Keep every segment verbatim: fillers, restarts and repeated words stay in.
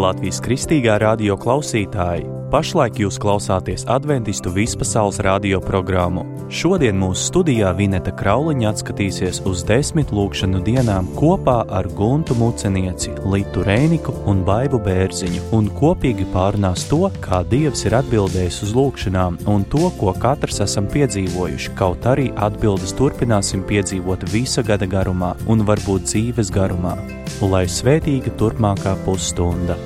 Latvijas Kristīgā radio klausītāji! Pašlaik jūs klausāties Adventistu vispasaules radio programmu. Šodien mūsu studijā Vineta Krauliņa atskatīsies uz desmit lūkšanu dienām kopā ar Guntu Mucenieci, Litu Rēniku un Baibu Bērziņu un kopīgi pārunās to, kā Dievs ir atbildējis uz lūkšanām un to, ko katrs esam piedzīvojuši, kaut arī atbildes turpināsim piedzīvot visa gada garumā un varbūt dzīves garumā. Lai svētīga turpmākā pusstunda!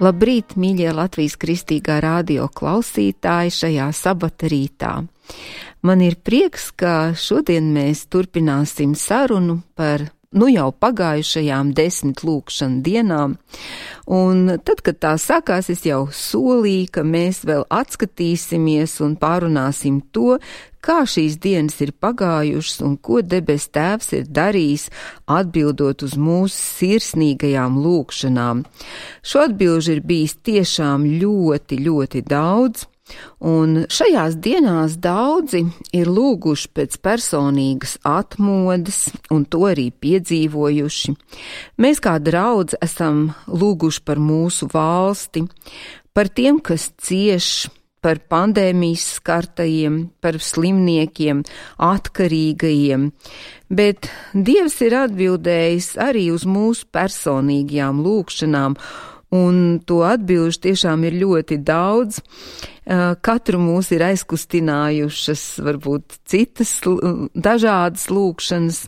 Labrīt, mīļie Latvijas Kristīgā radio klausītāji šajā sabata rītā. Man ir prieks, ka šodien mēs turpināsim sarunu par nu jau pagājušajām desmit lūkšanu dienām, un tad, kad tā sākās, es jau solīju, ka mēs vēl atskatīsimies un pārunāsim to, kā šīs dienas ir pagājušas un ko debes Tēvs ir darījis, atbildot uz mūsu sirsnīgajām lūkšanām. Šo atbilžu ir bijis tiešām ļoti, ļoti daudz, un šajās dienās daudzi ir lūguši pēc personīgas atmodas un to arī piedzīvojuši. Mēs kā draudze esam lūguši par mūsu valsti, par tiem, kas cieš, par pandēmijas skartajiem, par slimniekiem, atkarīgajiem, bet Dievs ir atbildējis arī uz mūsu personīgajām lūkšanām, un to atbilžu tiešām ir ļoti daudz. Katru mūs ir aizkustinājušas varbūt citas dažādas lūkšanas,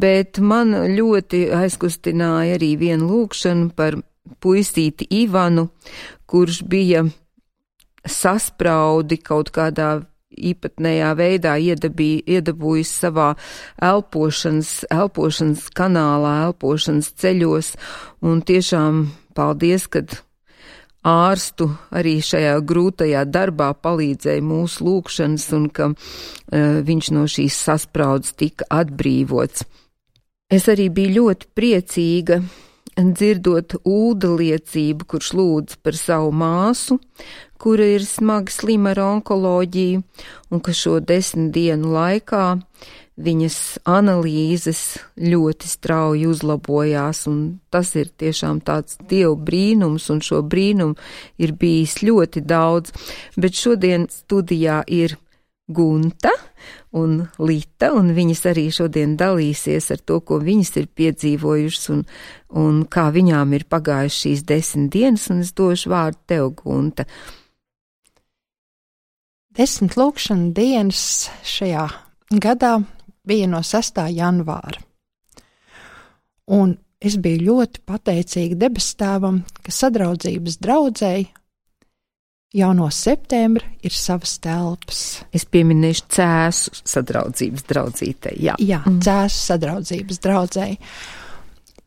bet man ļoti aizkustināja arī viena lūkšana par puisīti Ivanu, kurš bija saspraudi kaut kādā īpatnējā veidā iedabī, iedabūjis savā elpošanas, elpošanas kanālā, elpošanas ceļos, un tiešām paldies, kad ārstu arī šajā grūtajā darbā palīdzēja mūsu lūkšanas un ka uh, viņš no šīs saspraudas tika atbrīvots. Es arī biju ļoti priecīga dzirdot Ulda liecību, kurš lūdz par savu māsu, kura ir smagi slima ar onkoloģiju, un ka šo desmit dienu laikā viņas analīzes ļoti strauji uzlabojās, un tas ir tiešām tāds Dieva brīnums, un šo brīnumu ir bijis ļoti daudz, bet šodien studijā ir Gunta un Lita, un viņas arī šodien dalīsies ar to, ko viņas ir piedzīvojušas un, un kā viņām ir pagājušas šīs desmit dienas, un es došu vārdu tev, Gunta. Desmit lūkšana dienas šajā gadā bija no sestā janvāra. Un es biju ļoti pateicīga debestēvam, ka sadraudzības draudzēji jau no septembra ir savas telpas. Es pieminēšu Cēsu sadraudzības draudzītei. Jā, Jā mm. Cēsu sadraudzības draudzēji.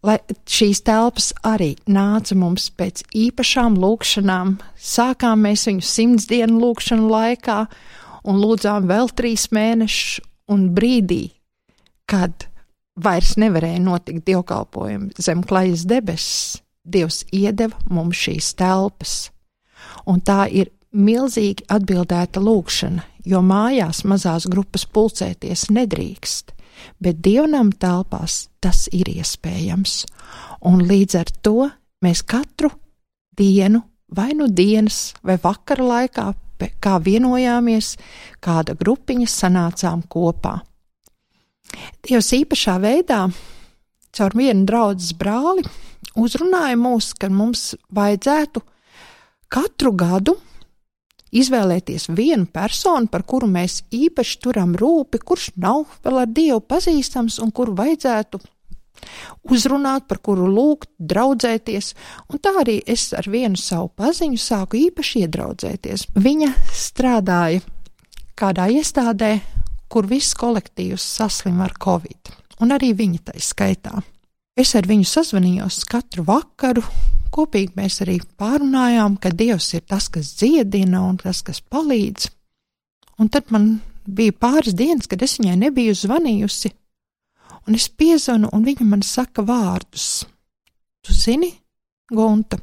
Lai šīs telpas arī nāca mums pēc īpašām lūkšanām. Sākām mēs viņu simts dienu lūkšanu laikā un lūdzām vēl trīs mēnešus, un brīdī, kad vairs nevarēja notikt dievkalpojumi zem klajas debesis, Dievs iedeva mums šīs telpas. Un tā ir milzīgi atbildēta lūkšana, jo mājās mazās grupas pulcēties nedrīkst, bet dievnam telpās tas ir iespējams. Un līdz ar to mēs katru dienu, vai nu dienas, vai vakara laikā, kā vienojāmies, kāda grupiņa sanācām kopā. Dievs īpašā veidā caur vienu draudzes brāli uzrunāja mūs, ka mums vajadzētu katru gadu izvēlēties vienu personu, par kuru mēs īpaši turam rūpi, kurš nav vēl ar Dievu pazīstams un kuru vajadzētu uzrunāt, par kuru lūgt, draudzēties. Un tā arī es ar vienu savu paziņu sāku īpaši iedraudzēties. Viņa strādāja kādā iestādē, kur viss kolektīvs saslim ar covid, un arī viņa tai skaitā. Es ar viņu sazvanījos katru vakaru, kopīgi mēs arī pārunājām, ka Dievs ir tas, kas dziedina un tas, kas palīdz. Un tad man bija pāris dienas, kad es viņai nebiju zvanījusi, un es piezvanu, un viņa man saka vārdus. Tu zini, Gunta,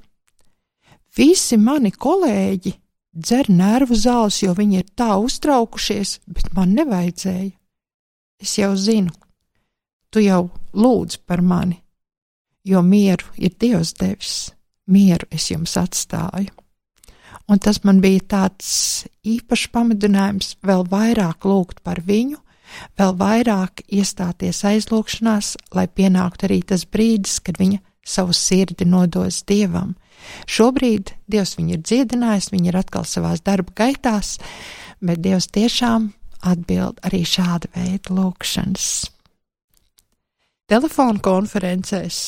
visi mani kolēģi dzer nervu zāles, jo viņi ir tā uztraukušies, bet man nevajadzēja. Es jau zinu, tu jau lūdz par mani, jo mieru ir Dievs devis, mieru es jums atstāju. Un tas man bija tāds īpašs pamudinājums vēl vairāk lūgt par viņu, vēl vairāk iestāties aizlūgšanās, lai pienāktu arī tas brīdis, kad viņa savu sirdi nodos Dievam. Šobrīd Dievs viņu ir dziedinājis, viņa ir atkal savās darba gaitās, bet Dievs tiešām atbild arī šāda veida lūgšanas. Telefonu konferencēs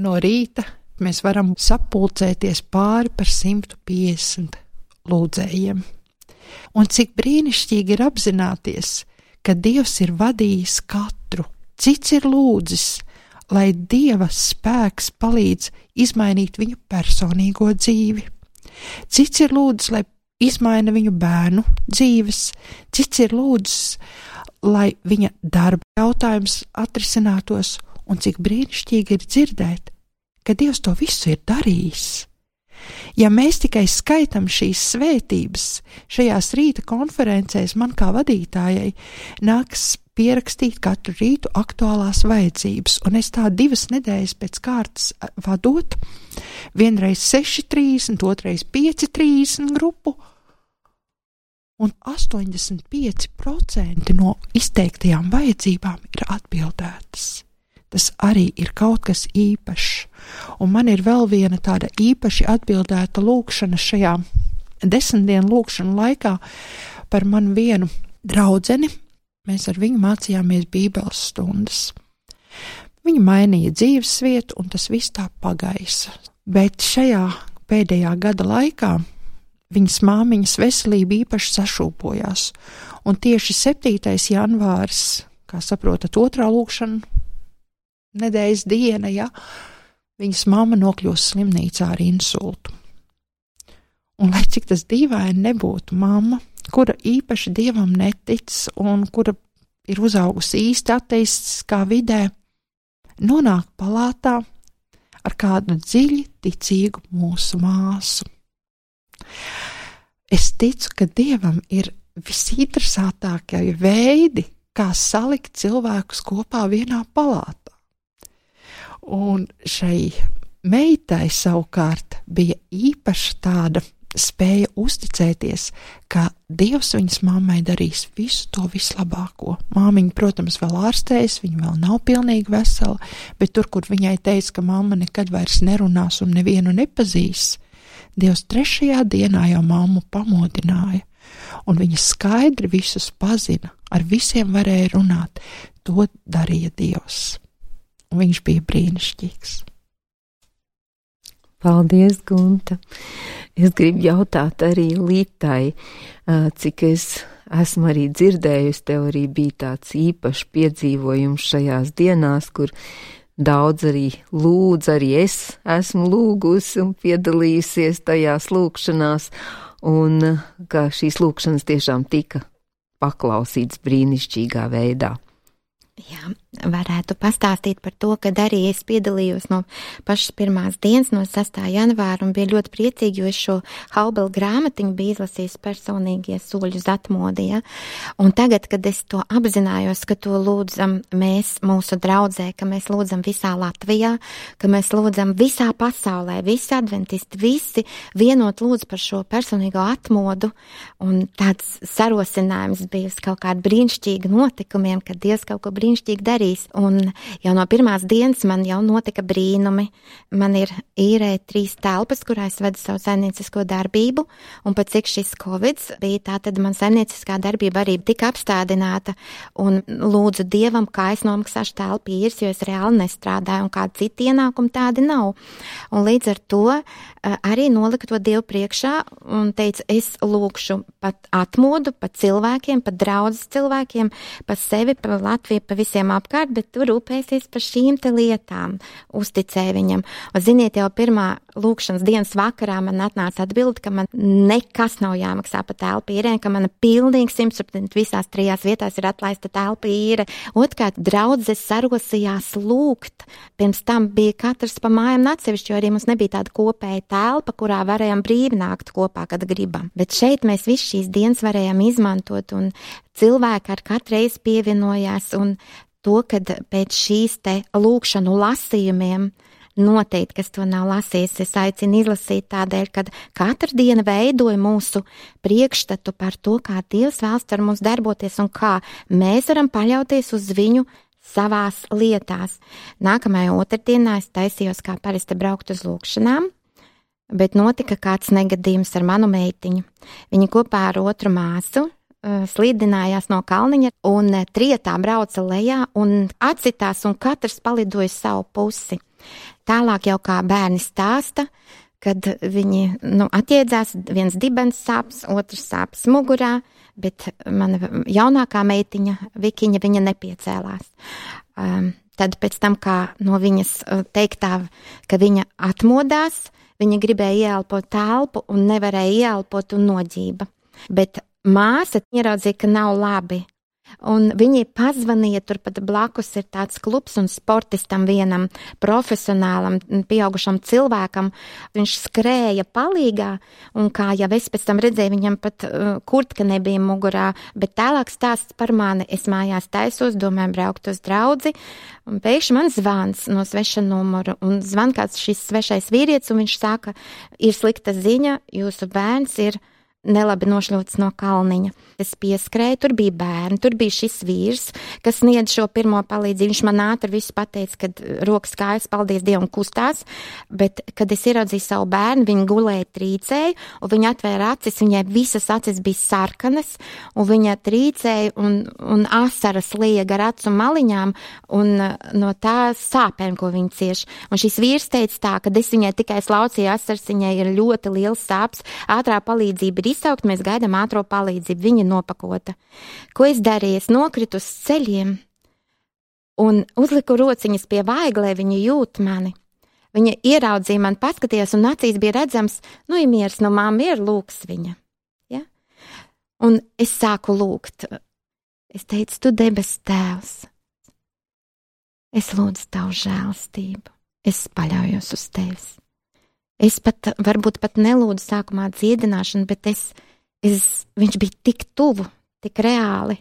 no rīta mēs varam sapulcēties pāri par simt piecdesmit lūdzējiem. Un cik brīnišķīgi ir apzināties, ka Dievs ir vadījis katru, cits ir lūdzis, lai Dieva spēks palīdz izmainīt viņu personīgo dzīvi. Cits ir lūdzis, lai izmaina viņu bērnu dzīves, cits ir lūdzis, lai viņa darba jautājums atrisinātos, un cik brīnišķīgi ir dzirdēt, ka Dievs to visu ir darījis. Ja mēs tikai skaitam šīs svētības, šajās rīta konferencēs man kā vadītājai nāks pierakstīt katru rītu aktuālās vajadzības, un es tā divas nedēļas pēc kārtas vadot, vienreiz seši trīsdesmit, otrais pieci trīsdesmit grupu, un astoņdesmit pieci procenti no izteiktajām vajadzībām ir atbildētas. Tas arī ir kaut kas īpašs, un man ir vēl viena tāda īpaši atbildēta lūkšana šajā desmit dienu lūkšanu laikā par manu vienu draudzeni. Mēs ar viņu mācījāmies bībeles stundas. Viņa mainīja dzīvesvietu, un tas viss tā pagaisa. Bet šajā pēdējā gada laikā viņas māmiņas veselība īpaši sašūpojās, un tieši septītais janvāris, kā saprotat, otrā lūkšana nedēļas diena, ja, viņas mamma nokļūst slimnīcā ar insultu. Un lai cik tas dīvaini nebūtu, mamma, kura īpaši Dievam netic un kura ir uzaugusi īsti ateistiskā vidē, nonāk palātā ar kādu dziļi ticīgu mūsu māsu. Es ticu, ka Dievam ir visinteresantākie veidi, kā salikt cilvēkus kopā vienā palātā. Un šai meitai savukārt bija īpaša tāda spēja uzticēties, ka Dievs viņas mammai darīs visu to vislabāko. Māmiņa, protams, vēl ārstējas, viņa vēl nav pilnīgi vesela, bet tur, kur viņai teica, ka mamma nekad vairs nerunās un nevienu nepazīs, Dievs trešajā dienā jau mammu pamodināja, un viņa skaidri visus pazina, ar visiem varēja runāt. To darīja Dievs. un viņš bija brīnišķīgs. Paldies, Gunta. Es gribu jautāt arī Lītai, cik es esmu arī dzirdējusi, tev arī bija tāds īpašs piedzīvojums šajās dienās, kur daudz arī lūdz, arī es esmu lūgusi un piedalījusies tajās lūkšanās, un ka šīs lūkšanas tiešām tika paklausīts brīnišķīgā veidā. Jā, varētu pastāstīt par to, kad arī es piedalījos no pašas pirmās dienas, no sastā janvāra, un bija ļoti priecīgi, jo es šo Haubela grāmatiņu biju izlasījis personīgie soļi uz atmodi, ja? Un tagad, kad es to apzinājos, ka to lūdzam mēs mūsu draudzē, ka mēs lūdzam visā Latvijā, ka mēs lūdzam visā pasaulē, visi adventisti, visi vienot lūdz par šo personīgo atmodu, un tāds sarosinājums bija uz kaut kādu brīnišķīgu notikumiem, kad Dievs kaut ko brīnišķīgi darīs. Un jau no pirmās dienas man jau notika brīnumi. Man ir īrē trīs telpas, kurā es vedu savu saimniecisko darbību, un pat cik šis Covids bija, tā tad man saimnieciskā darbība arī tika apstādināta, un lūdzu Dievam, kā es nomaksāšu telpu īres, jo es reāli nestrādāju, un kādi citi ienākumi tādi nav. Un līdz ar to arī nolika to Dievu priekšā un teica, es lūkšu pat atmodu, pat cilvēkiem, pat draudzes cilvēkiem, pa sevi, pa Latviju, pa visiem apkārt, bet tu rūpēsies par šīm te lietām, uzticēja viņam. Un ziniet, jau pirmā lūkšanas dienas vakarā man atnāca atbildi, ka man nekas nav jāmaksā pa telpu īrē, ka mana pilnīgi simtprocentīgi visās trijās vietās ir atlaista telpa īre. Otkārt, draudzes sarosījās lūgt. Pirms tam bija katrs pa mājām atsevišķi, jo arī mums nebija tāda kopēja telpa, kurā varējām brīvi nākt kopā, kad gribam. Bet šeit mēs visu šīs dienas varējām izmantot, un cilvēki ar katru reizi pievienojās, un to, kad pēc šīs te lūkšanu lasījumiem noteikti, kas to nav lasījis, es aicinu izlasīt tādēļ, kad katra diena veidoja mūsu priekšstatu par to, kā Dievs vēlas ar mums darboties un kā mēs varam paļauties uz viņu savās lietās. Nākamajā otrdienā es taisījos kā parasti braukt uz lūkšanām, bet notika kāds negadījums ar manu meitiņu. Viņa kopā ar otru māsu slīdinājās no kalniņa un trietā brauca lejā un atsitās un katrs palidoja savu pusi. Tālāk jau kā bērni stāsta, kad viņi nu, atjēdzās, viens dibens sāps, otrs sāps mugurā, bet mana jaunākā meitiņa, Vikiņa, viņa nepiecēlās. Um, tad pēc tam, kā no viņas teiktā, ka viņa atmodās, viņa gribēja ieelpot telpu un nevarēja ieelpot un noģība. Bet māsa ieraudzīja, ka nav labi, un viņi pazvanīja, turpat blakus ir tāds klubs un sportistam vienam profesionālam, pieaugušam cilvēkam, viņš skrēja palīgā, un kā jau es pēc tam redzēju, viņam pat uh, kurtka nebija mugurā, bet tālāk stāsts par mani, es mājās taisos, domāju braukt uz draudzi, un pēkšņi man zvans no sveša numuru, un zvan kāds šis svešais vīrietis, un viņš saka, ir slikta ziņa, jūsu bērns ir nelabi nošļūts no kalniņa. Es pieskrēju, tur bija bērni, tur bija šis vīrs, kas sniedz šo pirmo palīdzību. Viņš man ātri visu pateica, kad rokas kājas, paldies Dievam, kustās, bet, kad es ieraudzīju savu bērnu, viņa gulēja trīcēja, un viņa atvēra acis, viņai visas acis bija sarkanas, un viņa trīcēja, un, un asaras lieja gar acu maliņām, un no tā sāpēm, ko viņa cieš. Un šis vīrs teica tā, kad es viņai tikai slaucīju asaras, viņai ir ļoti liels sāps, ātrā palīdzība ir izsaukt, mēs gaidām ātro palīdzību, viņa nopakota. Ko es darīju? Es nokritu uz ceļiem un uzliku rociņas pie vaiglē, viņa jūt mani. Viņa ieraudzīja mani, paskatījās un acīs bija redzams, nu, ir miers, no māma ir lūks viņa. Ja? Un es sāku lūgt. Es teicu, tu debes tēvs, es lūdzu tavu žēlastību, es paļaujos uz tevis. Es pat, varbūt pat nelūdzu sākumā dziedināšanu, bet es, es, viņš bija tik tuvu, tik reāli.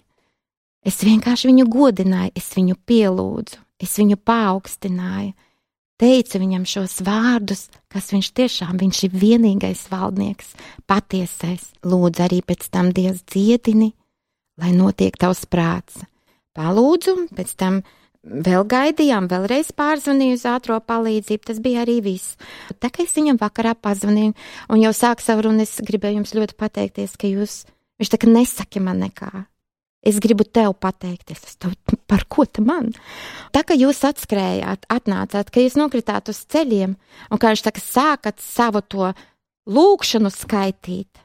Es vienkārši viņu godināju, es viņu pielūdzu, es viņu paaugstināju, teicu viņam šos vārdus, kas viņš tiešām, viņš ir vienīgais valdnieks, patiesais. Lūdzu arī pēc tam Dievs dziedini, lai notiek tavs prāts. Palūdzu, pēc tam vēl gaidījām, vēlreiz pārzvanīju uz ātro palīdzību, tas bija arī viss. Tā kā es viņam vakarā pazvanīju un jau sāku savu runu, es gribēju jums ļoti pateikties, ka jūs, viņš tā kā nesaki man nekā. Es gribu tev pateikties, es tev par ko te man? Tā, ka jūs atskrējāt, atnācāt, ka jūs nokritāt uz ceļiem, un kā viņš saka, sākat savu to lūkšanu skaitīt.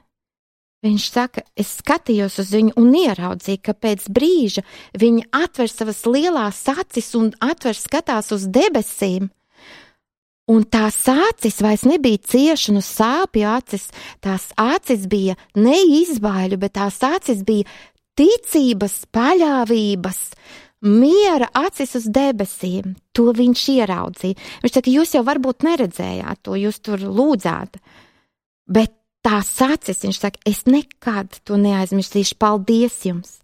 Viņš saka, es skatījos uz viņu un ieraudzīju, ka pēc brīža viņa atver savas lielās acis un atver skatās uz debesīm. Un tās acis vairs nebija ciešanu sāpju acis, tās acis bija ne izbaiļu, bet tās acis bija ticības, paļāvības, miera acis uz debesīm. To viņš ieraudzīja. Viņš saka, jūs jau varbūt neredzējāt to, jūs tur lūdzāt, bet tās acis, viņš saka, es nekad to neaizmirsīšu, paldies jums.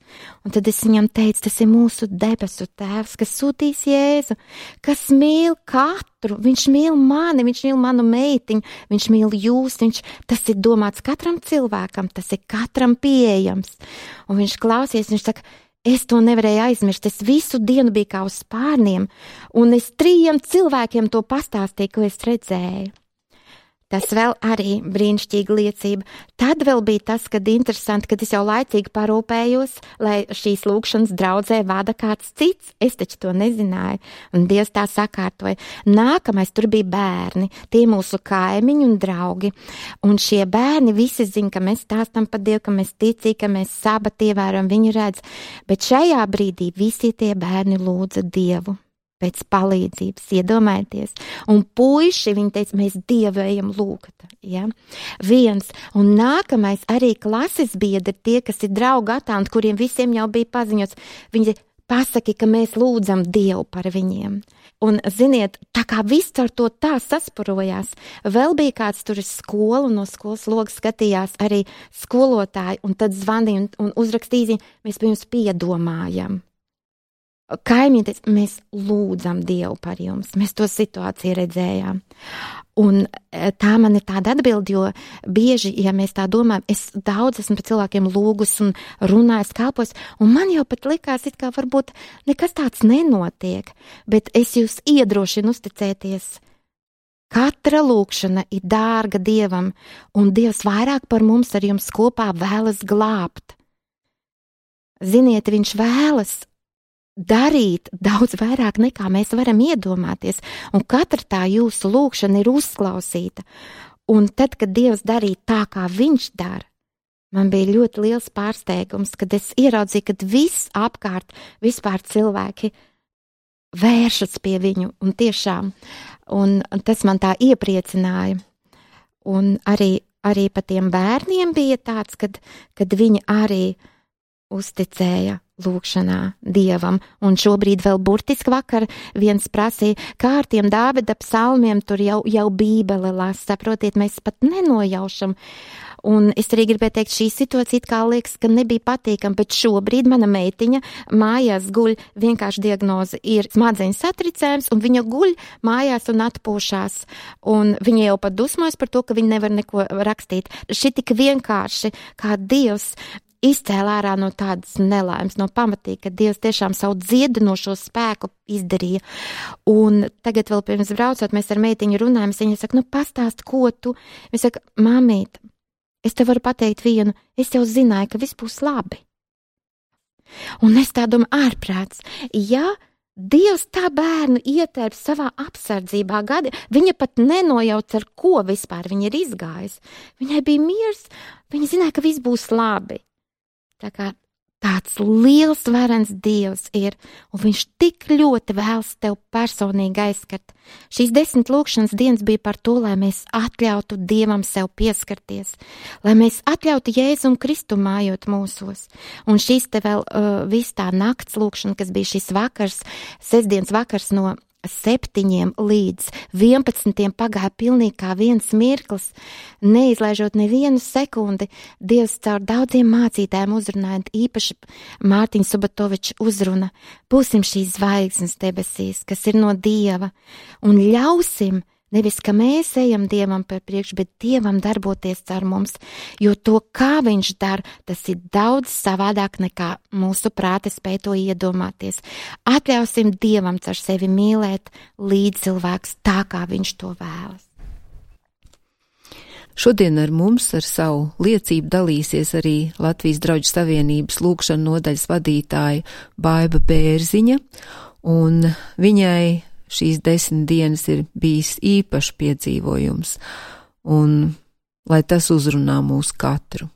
Un tad es viņam teicu, tas ir mūsu debesu tēvs, kas sūtīs Jēzu, kas mīl katru, viņš mīl mani, viņš mīl manu meitiņu, viņš mīl jūs, viņš, tas ir domāts katram cilvēkam, tas ir katram pieejams. Un viņš klausies, viņš saka, es to nevarēju aizmirst, es visu dienu biju kā uz spārniem, un es trījiem cilvēkiem to pastāstīju, ko es redzēju. Tas vēl arī brīnišķīga liecība. Tad vēl bija tas, kad interesanti, kad es jau laicīgi parūpējos, lai šīs lūkšanas draudzē vada kāds cits. Es taču to nezināju. Un Dievs tā sakārtoja. Nākamais tur bija bērni, tie mūsu kaimiņi un draugi. Un šie bērni visi zina, ka mēs stāstam par Dievu, ka mēs ticīgi, ka mēs sabati ievērojam, viņi redz. Bet šajā brīdī visi tie bērni lūdza Dievu pēc palīdzības, iedomājieties. Un puiši, viņi teica, mēs Dievu ejam lūgt. Ja? Viens. Un nākamais arī klases biedri, tie, kas ir draugi atānti, kuriem visiem jau bija paziņots, viņi pasaki, ka mēs lūdzam Dievu par viņiem. Un, ziniet, tā kā viss ar to tā sasparojās, vēl bija kāds tur iz skolu, no skolas logas skatījās arī skolotāji, un tad zvanīja un, un uzrakstīja, mēs pie jums piedomājam. Kaimiņi teica, mēs lūdzam Dievu par jums, mēs to situāciju redzējām. Un tā man ir tāda atbildi, jo bieži, ja mēs tā domājam, es daudz esmu par cilvēkiem lūgus un runājis, kalpos, un man jau pat likās, it kā varbūt nekas tāds nenotiek, bet es jūs iedrošinu uzticēties. Katra lūkšana ir dārga Dievam, un Dievs vairāk par mums ar jums kopā vēlas glābt. Ziniet, viņš vēlas darīt daudz vairāk nekā mēs varam iedomāties, un katra tā jūsu lūkšana ir uzklausīta. Un tad, kad Dievs darīja tā, kā viņš dara, man bija ļoti liels pārsteigums, kad es ieraudzīju, kad viss apkārt, vispār cilvēki vēršas pie viņu, un tiešām, un tas man tā iepriecināja. Un arī, arī pa tiem bērniem bija tāds, kad, kad viņi arī uzticēja lūkšanā Dievam, un šobrīd vēl burtiski vakar viens prasīja, kā ar tiem Dāvida psalmiem, tur jau, jau Bībele lasa, saprotiet, mēs pat nenojaušam. Un es arī gribēju teikt, šī situācija kā liekas, ka nebija patīkama, bet šobrīd mana meitiņa mājās guļ, vienkārši diagnoze ir smadzeņu satricējums, un viņa guļ mājās un atpūšās, un viņa jau pat dusmojas par to, ka viņa nevar neko rakstīt. Šī tik vienkārši, kā Dievs izcēlā ārā no tādas nelaimes, no pamatīgi, ka Dievs tiešām savu dziedinošo spēku izdarīja. Un tagad vēl pirms braucot, mēs ar meitiņu runājam, viņa saka, nu pastāst, ko tu? Viņa saka, māmīt, es te varu pateikt vienu, es jau zināju, ka viss būs labi. Un es tā domāju, ārprāts, ja Dievs tā bērnu ietērp savā apsardzībā gadi, viņa pat nenojauc, ar ko vispār viņa ir izgājis. Viņai bija miers, viņa zināja, ka viss būs labi. Tā kā tāds liels varens Dievs ir, un viņš tik ļoti vēlas tev personīgi aizskart. Šīs desmit lūkšanas dienas bija par to, lai mēs atļautu Dievam sev pieskarties, lai mēs atļautu Jēzum Kristu mājot mūsos. Un šīs te vēl uh, viss tā nakts lūkšana, kas bija šis vakars, sestdienas vakars no septiņiem līdz vienpadsmitiem pagāja pilnīgi kā viens mirklis, neizlaižot nevienu sekundi. Dievs caur daudziem mācītājiem uzrunājot, īpaši Mārtiņa Subatoviča uzruna. Būsim šīs zvaigznes debesīs, kas ir no Dieva, un ļausim nevis, ka mēs ejam Dievam par priekšu, bet Dievam darboties ar mums, jo to, kā viņš dara, tas ir daudz savādāk nekā mūsu prāti spēj to iedomāties. Atļausim Dievam caur sevi mīlēt līdz cilvēks tā, kā viņš to vēlas. Šodien ar mums ar savu liecību dalīsies arī Latvijas Draugu savienības lūkšanu nodaļas vadītāja Baiba Bērziņa, un viņai šīs desmit dienas ir bijis īpašs piedzīvojums, un lai tas uzrunā mūs katru.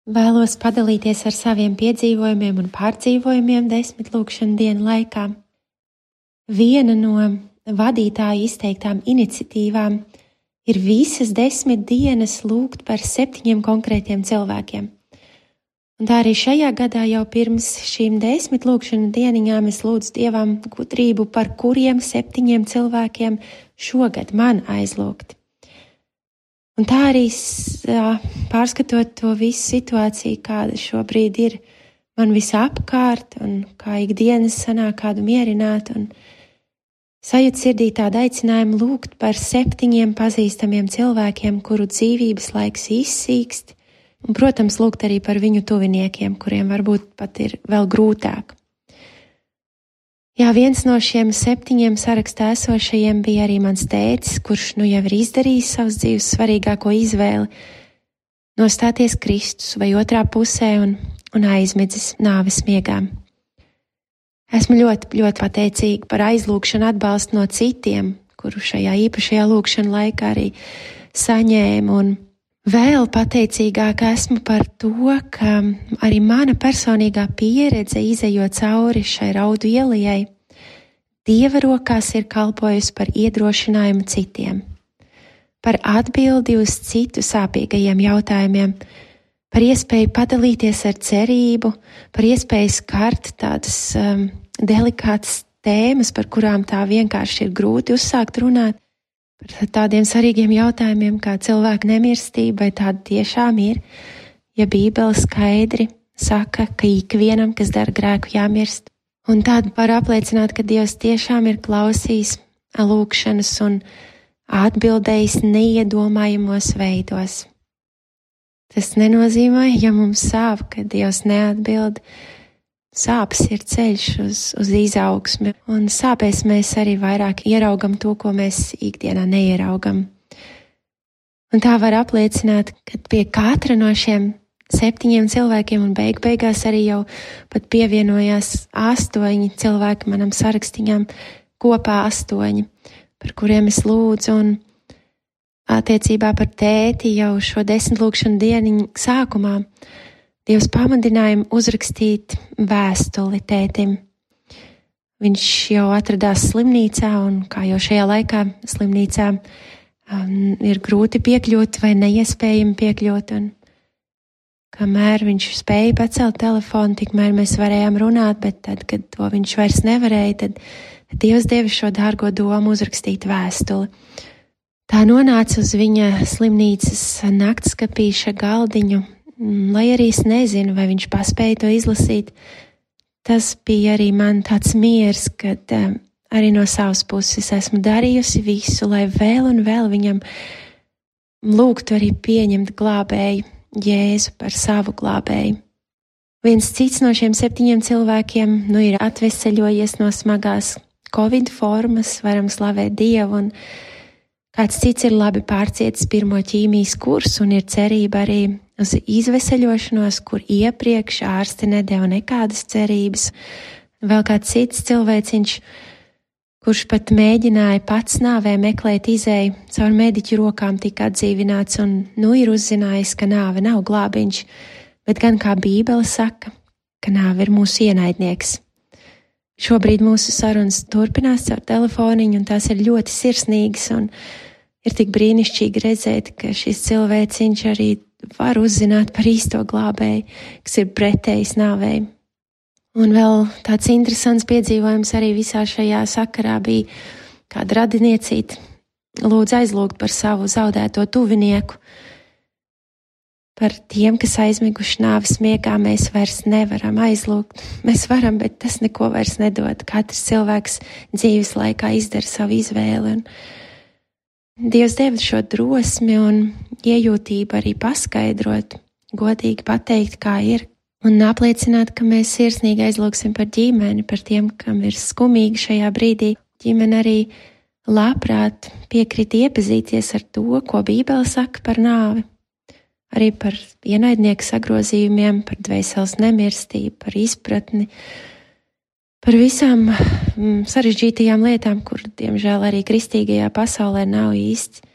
Vēlos padalīties ar saviem piedzīvojumiem un pārdzīvojumiem desmit lūkšanu dienu laikā. Viena no vadītāju izteiktām iniciatīvām ir visas desmit dienas lūgt par septiņiem konkrētiem cilvēkiem. Un tā arī šajā gadā jau pirms šīm desmit lūkšanu dieniņām es lūdzu Dievam gudrību, par kuriem septiņiem cilvēkiem šogad man aizlūgt. Un tā arī pārskatot to visu situāciju, kāda šobrīd ir man visapkārt, un kā ikdienas sanāk kādu mierināt, un sajūt sirdī tādu aicinājumu lūgt par septiņiem pazīstamiem cilvēkiem, kuru dzīvības laiks izsīkst, un, protams, lūgt arī par viņu tuviniekiem, kuriem varbūt pat ir vēl grūtāk. Jā, viens no šiem septiņiem sarakstā esošajiem bija arī mans tētis, kurš nu jau ir izdarījis savas dzīves svarīgāko izvēli nostāties Kristus vai otrā pusē un, un aizmidzis nāves miegām. Esmu ļoti, ļoti pateicīga par aizlūgšanu atbalstu no citiem, kuru šajā īpašajā lūgšanu laikā arī saņēmu, un vēl pateicīgāka esmu par to, ka arī mana personīgā pieredze izejot cauri šai raudu ielijai Dieva rokās ir kalpojusi par iedrošinājumu citiem, par atbildi uz citu sāpīgajiem jautājumiem, par iespēju padalīties ar cerību, par iespēju skart tādas um, delikātas tēmas, par kurām tā vienkārši ir grūti uzsākt runāt, par tādiem svarīgiem jautājumiem kā cilvēka nemirstība, vai tāda tiešām ir, ja Bībele skaidri saka, ka ikvienam, kas dara grēku, jāmirst. Un tādu var apliecināt, ka Dievs tiešām ir klausījis lūgšanas un atbildējis neiedomājamos veidos. Tas nenozīmē, ja mums sāp, ka Dievs neatbild. Sāpes ir ceļš uz, uz izaugsmi, un sāpēs mēs arī vairāk ieraugam to, ko mēs ikdienā neieraugam. Un tā var apliecināt, ka pie katra no šiem septiņiem cilvēkiem, un beig beigās arī jau pat pievienojās astoņi cilvēki manam sarakstiņam, kopā astoņi, par kuriem es lūdzu, un attiecībā par tēti jau šo desmit lūkšanu dieniņu sākumā Dievs pamudināja uzrakstīt vēstuli tētim. Viņš jau atradās slimnīcā, un kā jau šajā laikā slimnīcā um, ir grūti piekļūt vai neiespējami piekļūt, un kamēr viņš spēja pacelt telefonu, tikmēr mēs varējām runāt, bet tad, kad to viņš vairs nevarēja, tad, tad Dievs deva šo dārgo domu uzrakstīt vēstuli. Tā nonāca uz viņa slimnīcas naktskapīša galdiņu, lai arī es nezinu, vai viņš paspēja to izlasīt. Tas bija arī man tāds miers, kad um, arī no savas puses esmu darījusi visu, lai vēl un vēl viņam lūgtu arī pieņemt glābēju, Jēzu par savu glābēju. Viens cits no šiem septiņiem cilvēkiem nu ir atveseļojies no smagās Covid formas, varam slavēt Dievu, un kāds cits ir labi pārcietis pirmo ķīmijas kursu un ir cerība arī uz izveseļošanos, kur iepriekš ārsti nedeva nekādas cerības. Vēl kāds cits cilvēciņš, kurš pat mēģināja pats nāvē meklēt izēju, caur mediķu rokām tika atdzīvināts un nu ir uzzinājis, ka nāve nav glābiņš, bet gan kā Bībele saka, ka nāve ir mūsu ienaidnieks. Šobrīd mūsu sarunas turpinās caur telefoniņu, un tās ir ļoti sirsnīgas, un ir tik brīnišķīgi redzēt, ka šis cilvēciņš arī var uzzināt par īsto glābēju, kas ir pretējs nāvei. Un vēl tāds interesants piedzīvojums arī visā šajā sakarā bija kāda radiniecīte lūdz aizlūgt par savu zaudēto tuvinieku. Par tiem, kas aizmiguši nāves miegā, mēs vairs nevaram aizlūgt. Mēs varam, bet tas neko vairs nedod. Katrs cilvēks dzīves laikā izdara savu izvēli. Un Dievs deva šo drosmi un iejūtību arī paskaidrot, godīgi pateikt, kā ir, un apliecināt, ka mēs sirsnīgi aizlūgsim par ģimeni, par tiem, kam ir skumīgi šajā brīdī. Ģimene arī labprāt piekrīt iepazīties ar to, ko Bībele saka par nāvi, arī par ienaidnieku sagrozījumiem, par dvēseles nemirstību, par izpratni, par visām mm, sarežģītajām lietām, kur, diemžēl, arī kristīgajā pasaulē nav īsti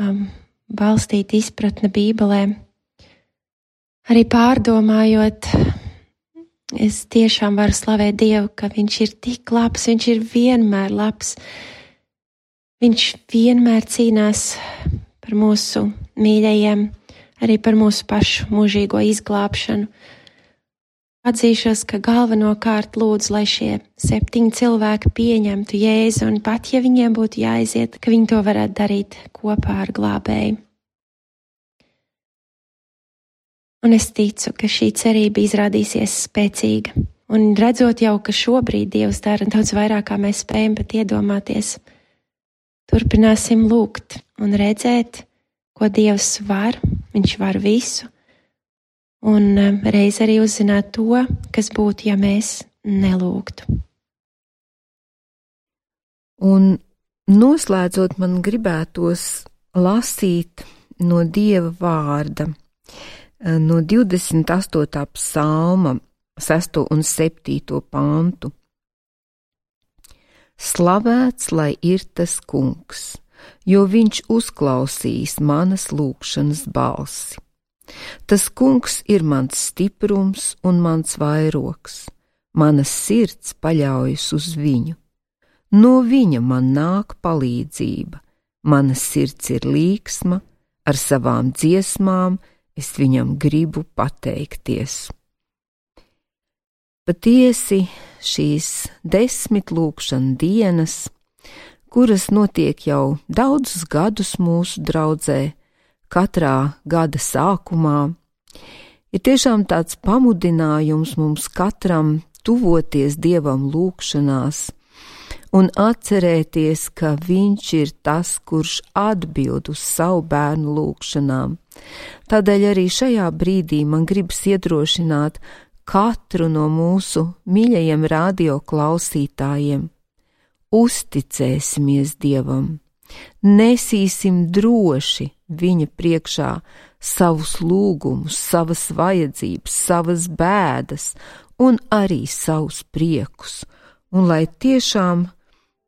um, balstīta izpratne Bībelē. Arī pārdomājot, es tiešām varu slavēt Dievu, ka Viņš ir tik labs, Viņš ir vienmēr labs. Viņš vienmēr cīnās par mūsu mīļajiem, arī par mūsu pašu mūžīgo izglābšanu. Atzīšos, ka galvenokārt lūdzu, lai šie septiņi cilvēki pieņemtu Jēzu, un pat, ja viņiem būtu jāaiziet, ka viņi to varētu darīt kopā ar glābēju. Un es ticu, ka šī cerība izrādīsies spēcīga. Un redzot jau, ka šobrīd Dievs dara daudz vairāk, kā mēs spējam pat iedomāties, turpināsim lūgt un redzēt, ko Dievs var, Viņš var visu, un reiz arī uzzināt to, kas būtu, ja mēs nelūgtu. Un noslēdzot, man gribētos lasīt no Dieva vārda, no divdesmit astotā psalma, sesto un septīto pantu. Slavēts, lai ir tas kungs, jo viņš uzklausīs manas lūgšanas balsi. Tas kungs ir mans stiprums un mans vairogs, manas sirds paļaujas uz viņu. No viņa man nāk palīdzība, mana sirds ir līksma, ar savām dziesmām es viņam gribu pateikties. Patiesi šīs desmit lūgšana dienas, kuras notiek jau daudzus gadus mūsu draudzē, katrā gada sākumā, ir tiešām tāds pamudinājums mums katram tuvoties Dievam lūgšanās un atcerēties, ka Viņš ir tas, kurš atbild uz savu bērnu lūgšanām. Tādēļ arī šajā brīdī man gribas iedrošināt katru no mūsu mīļajiem radio klausītājiem. Uzticēsimies Dievam, nesīsim droši viņa priekšā savus lūgumus, savas vajadzības, savas bēdas un arī savus priekus, un lai tiešām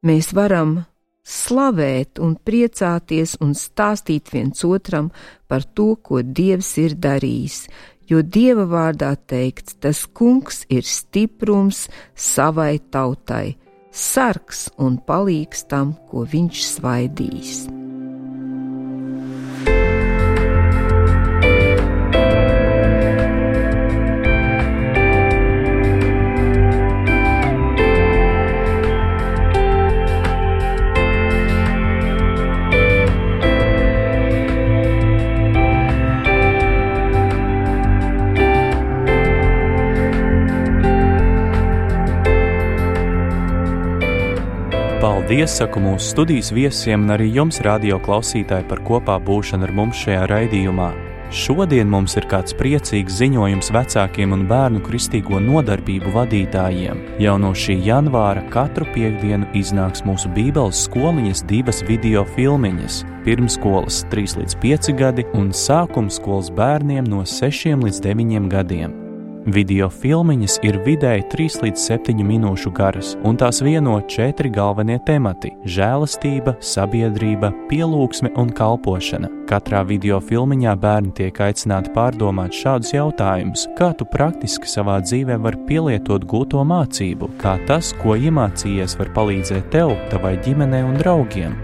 mēs varam slavēt un priecāties un stāstīt viens otram par to, ko Dievs ir darījis, jo Dieva vārdā teikts, tas kungs ir stiprums savai tautai, sargs un palīgs tam, ko viņš svaidīs. Paldies, saku mūsu studijas viesiem un arī jums, radio klausītāji, par kopā būšanu ar mums šajā raidījumā. Šodien mums ir kāds priecīgs ziņojums vecākiem un bērnu kristīgo nodarbību vadītājiem. Jau no šī janvāra katru piektdienu iznāks mūsu Bībeles skoliņas divas video filmiņas. Pirmskolas trīs līdz pieci gadi un sākumskolas bērniem no sešiem līdz deviņiem gadiem. Video filmiņas ir vidēji trīs līdz septiņu minūšu garas, un tās vieno četri galvenie temati – žēlastība, sabiedrība, pielūgsme un kalpošana. Katrā video filmiņā bērni tiek aicināti pārdomāt šādus jautājumus, kā tu praktiski savā dzīvē var pielietot gūto mācību, kā tas, ko iemācījies, var palīdzēt tev, tavai ģimenei un draugiem.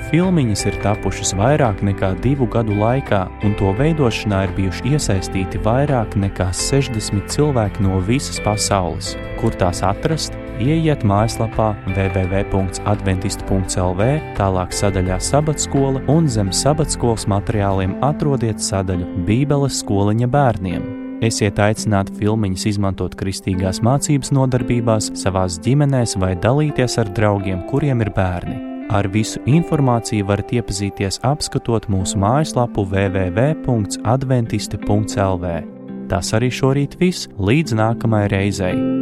Filmiņas ir tapušas vairāk nekā divu gadu laikā, un to veidošanā ir bijuši iesaistīti vairāk nekā sešdesmit cilvēki no visas pasaules. Kur tās atrast? Ieiet mājaslapā w w w punkts adventisti punkts l v, tālāk sadaļā Sabatskola un zem Sabatskolas materiāliem atrodiet sadaļu Bībeles skoliņa bērniem. Esiet aicināti filmiņas izmantot kristīgās mācības nodarbībās, savās ģimenēs vai dalīties ar draugiem, kuriem ir bērni. Ar visu informāciju varat iepazīties apskatot mūsu mājaslapu w w w punkts adventisti punkts l v. Tas arī šorīt viss, līdz nākamajai reizei.